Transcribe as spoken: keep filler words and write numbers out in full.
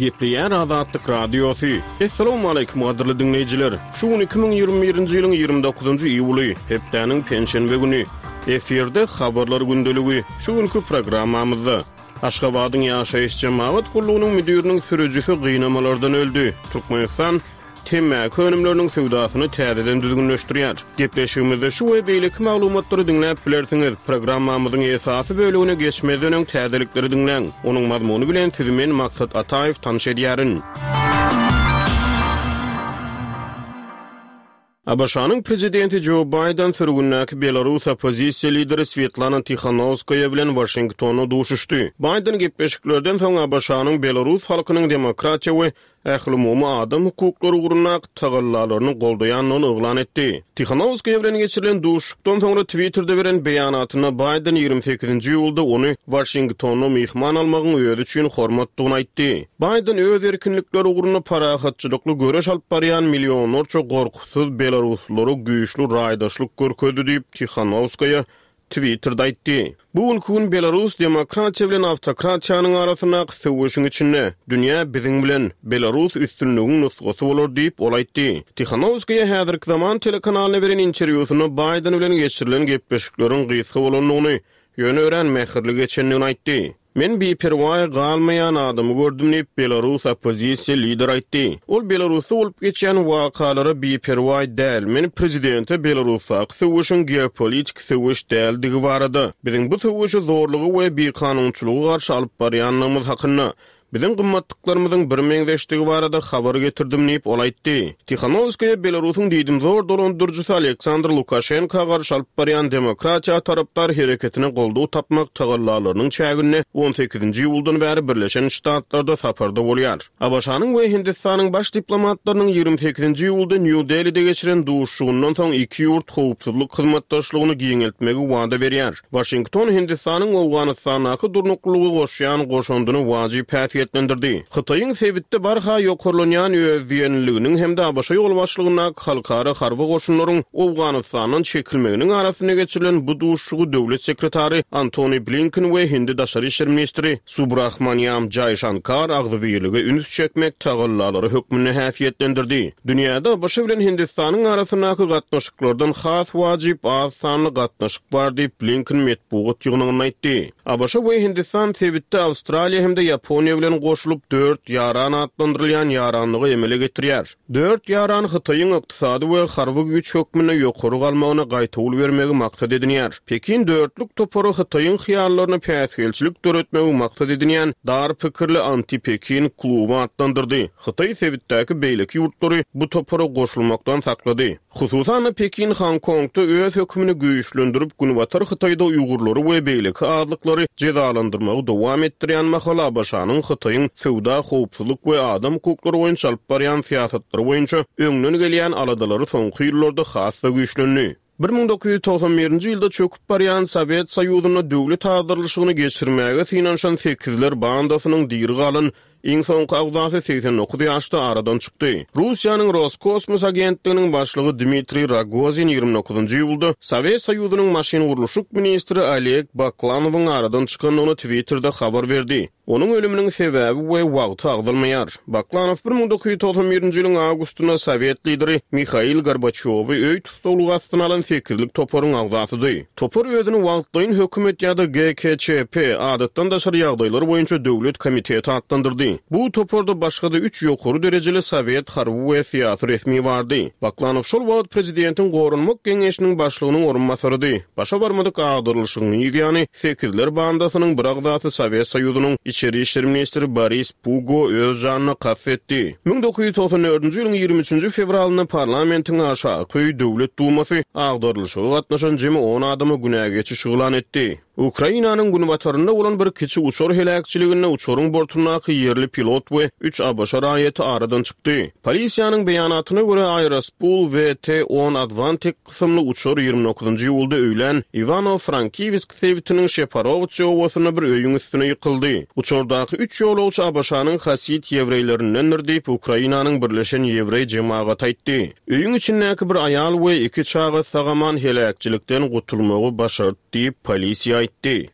Gepleýär Azatlyk Radiosy. Essalawmaleýkim gadyrly diňleýjiler! Şu gün iki müň ýigrimi birinji ýylyň ýigrimi dokuzynjy iýuly, hepdäniň penşenbe güni. Efirde Habarlar gündeligi. Şu günki programmamyzda. Aşgabadyň ýaşaýyş-jemagat gullugynyň müdiriniň sürüjisi gynamalardan öldi. Türkmenistan temmäki önümleriniň söwdasyny täzeden düzgünleşdirýär. Gepleşigimizde şu we beýleki maglumatlary diňläp bilersiňiz. Programmamyzyň esasy bölegine geçmezden öň täzelikleri diňläň. Onuň mazmuny bilen sizi men Maksat Ataýew tanyş edýärin. ABŞ-nyň prezidenti Jo Baýden sürgündäki belarus oppozisiýa lideri Swetlana Tihanowskaýa bilen Waşingtonda duşuşdy. Baýden gepleşiklerden soň ABŞ-nyň belarus halkynyň demokratiýa we ählumumy adam hukuklary ugrundaky tagallalaryny goldaýandygyny yglan etdi. Tihanowskaýa bilen geçirilen duşuşykdan soňra Twitterde beren beýanatynda Baýden ýigrimi sekizinji iýulda ony Waşingtonda myhman almagyň özi üçin hormatdygyny aýtdy. Baýden öz erkinlikleri ugrunda parahatçylykly göreş alyp barýan millionlarça gorkusyz belaruslylara güýçli raýdaşlyk görkezdi diýip, Tihanowskaýa Twitterde aýtdy. Bu günki gün Belarus demokratiýa bilen awtokratiýanyň arasyndaky söweşiň içinde, dünýä biziň bilen, Belarus üstünligiň nusgasy bolar diýip, ol aýtdy. Tihanowskaýa häzirki zaman telekanalyna beren interwýusynda Baýden bilen geçirilen gepleşikleriň gysga bolandygyny, ýöne örän mähirli geçendigini aýtdy. Men biperwaý galmaýan adamy gördüm diýip, belarus oppozisiýa lideri aýtdy. Ol Belarusda bolup geçýän wakalara biperwaý däl. Men prezidente Belarusdaky söweşiň geopolitiki söweş däldigi barada, biziň bu söweşi zorluga we bikanunçylyga garşy alyp barýandygymyz hakynda, biziň gymmatlyklarymyzyň birmeňzeşdigi barada habar getirdim diýip, ol aýtdy. Tihanowskaýa Belarusyň diýdimzor dolandyryjysy Aleksandr Lukaşenka garşy alyp barýan demokratiýa tarapdar hereketine goldaw tapmak tagallalarynyň çäginde on sekizinji iýuldan bäri Birleşen Ştatlarda saparda bolýar. ABŞ-nyň we Hindistanyň baş diplomatlarynyň ýigrimi sekizinji iýulda Nýu-Delide geçiren duşuşygyndan soň iki ýurt howpsuzlyk hyzmatdaşlygyny giňeltmegi wada berýär. Waşington Hindistanyň Owganystandaky durnuklylyga goşýan goşandyny wajyp häsiýetlendirdi. Hytaýyň sebitde barha ýokarlanýan özdiýenliliginiň hem-de ABŞ ýolbaşçylygyndaky halkara harby goşunlaryň Owganystandan çekilmeginiň arasynda geçirilen bu duşuşygy döwlet sekretary Antony Blinken we hindi daşary işler ministri Subrahmanyam Jaýşankar agzybirlige üns çekmek tagallalary hökmünde häsiýetlendirdi. Dünýäde ABŞ bilen Hindistanyň arasyndaky gatnaşyklardan has wajyp az sanly gatnaşyk bar diýip, Blinken metbugat ýygnagynda aýtdy. ABŞ we Hindistan sebitde Awstraliýa hem-de Ýaponiýa bilen goşulyp dört ýaran atlandyrylýan ýaranlygy emele getirýär. Dört ýaran Hytaýyň ykdysady we harby güýç hökmünde ýokary galmagyna gaýtawul bermegi maksat edinýär. Pekin dörtlük topary Hytaýyň hyýallaryna päsgelçilik döretmegi maksat edinýän dar pikirli anti-Pekin kluby atlandyrdy. Hytaý sebitdäki beýleki ýurtlary bu topara goşulmakdan saklady. Hususan-da, Pekin Honkongda öz hökümini güýçlendirip, Günbatar Hytaýda uýgurlary we beýleki azlyklary jezalandyrmagy dowam etdirýän mahaly ABŞ-nyň Hytaýyň söwda, howpsuzlyk we adam hukuklary boýunça alyp barýan syýasatlary boýunça öňden gelýän aladalary soňky ýyllarda has-da güýçlendi. Bir müň dokuz ýüz togsan birinji ýylda çöküp barýan Sowet Soýuzynda döwlet agdarylyşygyny geçirmäge synanyşan sekizler bandasynyň diri galan iň soňky agzasy segsen dokuz ýaşda aradan çykdy. Russiýanyň Roskosmos agentliginiň başlygy Dmitriý Rogozin ýigrimi dokuzynjy iýulda Sowet Soýuzynyň maşyngurluşyk ministri Oleg Baklanowyň aradan çykandygyny Twitterde habar berdi. Onuň ölüminiň sebäbi we wagty agzalmaýar. Baklanow bir müň dokuz ýüz togsan birinji ýylyň awgustynda sowet lideri Mihail Gorbaçýowy öý tussaglygy astyna alan sekizlik toparyň agzasydy. Topar özüni wagtlaýyn hökümet ýa-da G K Ç P, Adatdan daşary ýagdaýlar boýunça döwlet komiteti atlandyrdy. Bu toparda başga-da üç ýokary derejeli sowet harby we syýasy resmi bardy. Baklanow şol wagt prezidentiň Goranmak geňeşiniň başlygynyň orunbasarydy. Başa barmadyk agdarylyşygyň yz ýany Sekizler bandasynyň bir agzasy Sowet Soýuzynyň Içeri işler ministri Boris Pugo öz janyna kast etdi. Müň dokuz ýüz togsan dördünji ýylyň ýigrimi üçünji fewralynda parlamentiň aşaky öýi Döwlet Dumasy agdarylyşyga gatnaşan jemi on adama günä geçiş yglan etdi. Ukrainanyň günbatarynda bolan bir kiçi uçar heläkçiliginde uçaryň bortundaky ýerli pilot we üç ABŞ raýaty aradan çykdy. Polisiýanyň beýanatyna görä, Aerospool V T on Advantic kysymly uçar ýigrimi dokuzynjy iýulda öýlän Iwano-Frankiwsk sebitiniň Şeparowtsi obasynda bir öýüň üstüne ýykyldy. Uçardaky üç ýolagçy ABŞ-nyň hasid ýewreýlerindendir diýip, Ukrainanyň Birleşen Ýewreý jemagaty aýtdy. Öýüň içindäki bir aýal we iki çaga sag-aman heläkçilikden gutulmagy başardy diýip, polisiýa aýtdy.